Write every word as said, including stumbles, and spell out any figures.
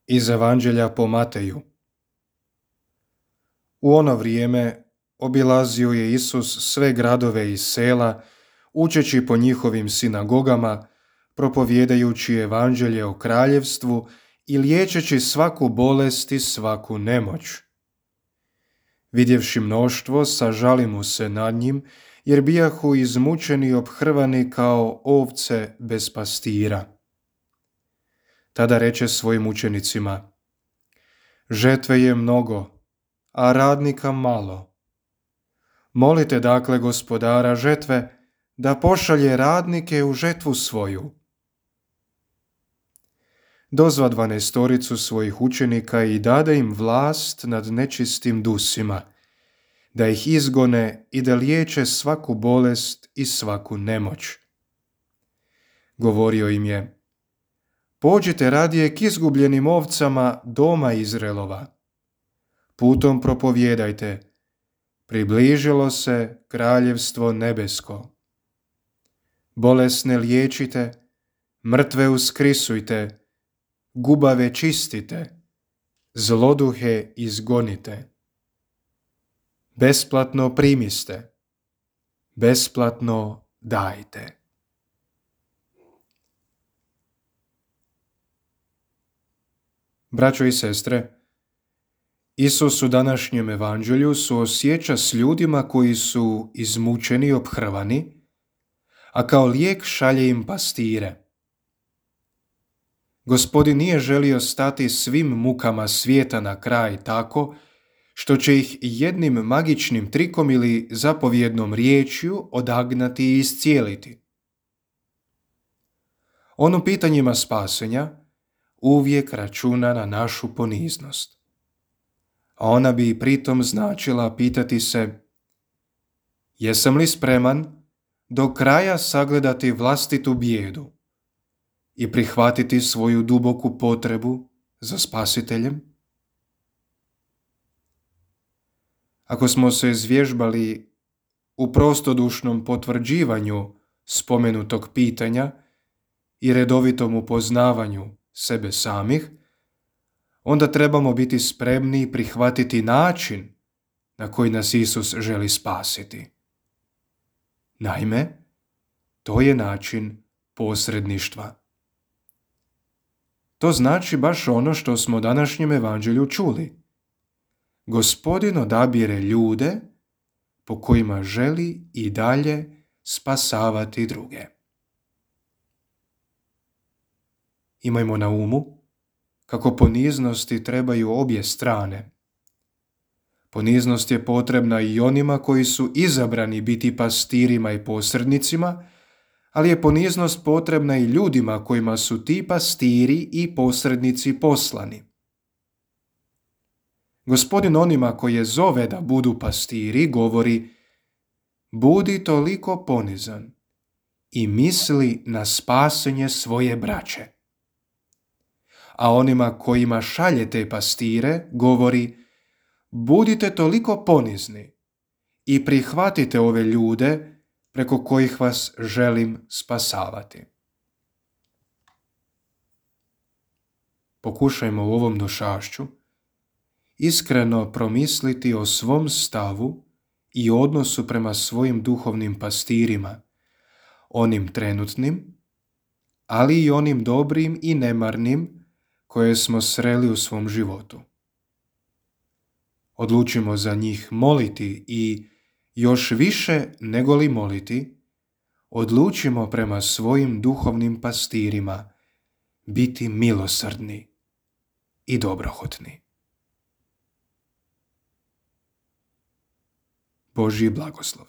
Iz Evanđelja po Mateju. U ono vrijeme obilazio je Isus sve gradove i sela, učeći po njihovim sinagogama, propovjedajući evanđelje o kraljevstvu i liječeći svaku bolest i svaku nemoć. Vidjevši mnoštvo, sažali mu se nad njim, jer bijahu izmučeni i ophrvani kao ovce bez pastira. Tada reče svojim učenicima: žetve je mnogo, a radnika malo. Molite dakle gospodara žetve da pošalje radnike u žetvu svoju. Dozva dvanaestoricu svojih učenika i dade im vlast nad nečistim dusima, da ih izgone i da liječe svaku bolest i svaku nemoć. Govorio im je: pođite radije k izgubljenim ovcama doma Izraelova. Putom propovjedajte: približilo se kraljevstvo nebesko. Bolesne liječite, mrtve uskrisujte, gubave čistite, zloduhe izgonite. Besplatno primiste, besplatno dajte. Braćo i sestre, Isus u današnjem evanđelju suosjeća s ljudima koji su izmučeni i ophrvani, a kao lijek šalje im pastire. Gospodin nije želio stati svim mukama svijeta na kraj tako što će ih jednim magičnim trikom ili zapovjednom riječju odagnati i iscijeliti. On u pitanjima spasenja uvijek računa na našu poniznost. A ona bi pritom značila pitati se: jesam li spreman do kraja sagledati vlastitu bijedu i prihvatiti svoju duboku potrebu za spasiteljem? Ako smo se zvježbali u prostodušnom potvrđivanju spomenutog pitanja i redovitom upoznavanju sebe samih, onda trebamo biti spremni i prihvatiti način na koji nas Isus želi spasiti. Naime, to je način posredništva. To znači baš ono što smo u današnjem evanđelju čuli. Gospodin odabire ljude po kojima želi i dalje spasavati druge. Imajmo na umu kako poniznosti trebaju obje strane. Poniznost je potrebna i onima koji su izabrani biti pastirima i posrednicima, ali je poniznost potrebna i ljudima kojima su ti pastiri i posrednici poslani. Gospodin onima koje zove da budu pastiri govori: budi toliko ponizan i misli na spasenje svoje braće. A onima kojima šalje te pastire govori: budite toliko ponizni i prihvatite ove ljude preko kojih vas želim spasavati. Pokušajmo u ovom došašću iskreno promisliti o svom stavu i odnosu prema svojim duhovnim pastirima, onim trenutnim, ali i onim dobrim i nemarnim koje smo sreli u svom životu. Odlučimo za njih moliti i još više nego li moliti, odlučimo prema svojim duhovnim pastirima biti milosrdni i dobrohotni. Božji blagoslov.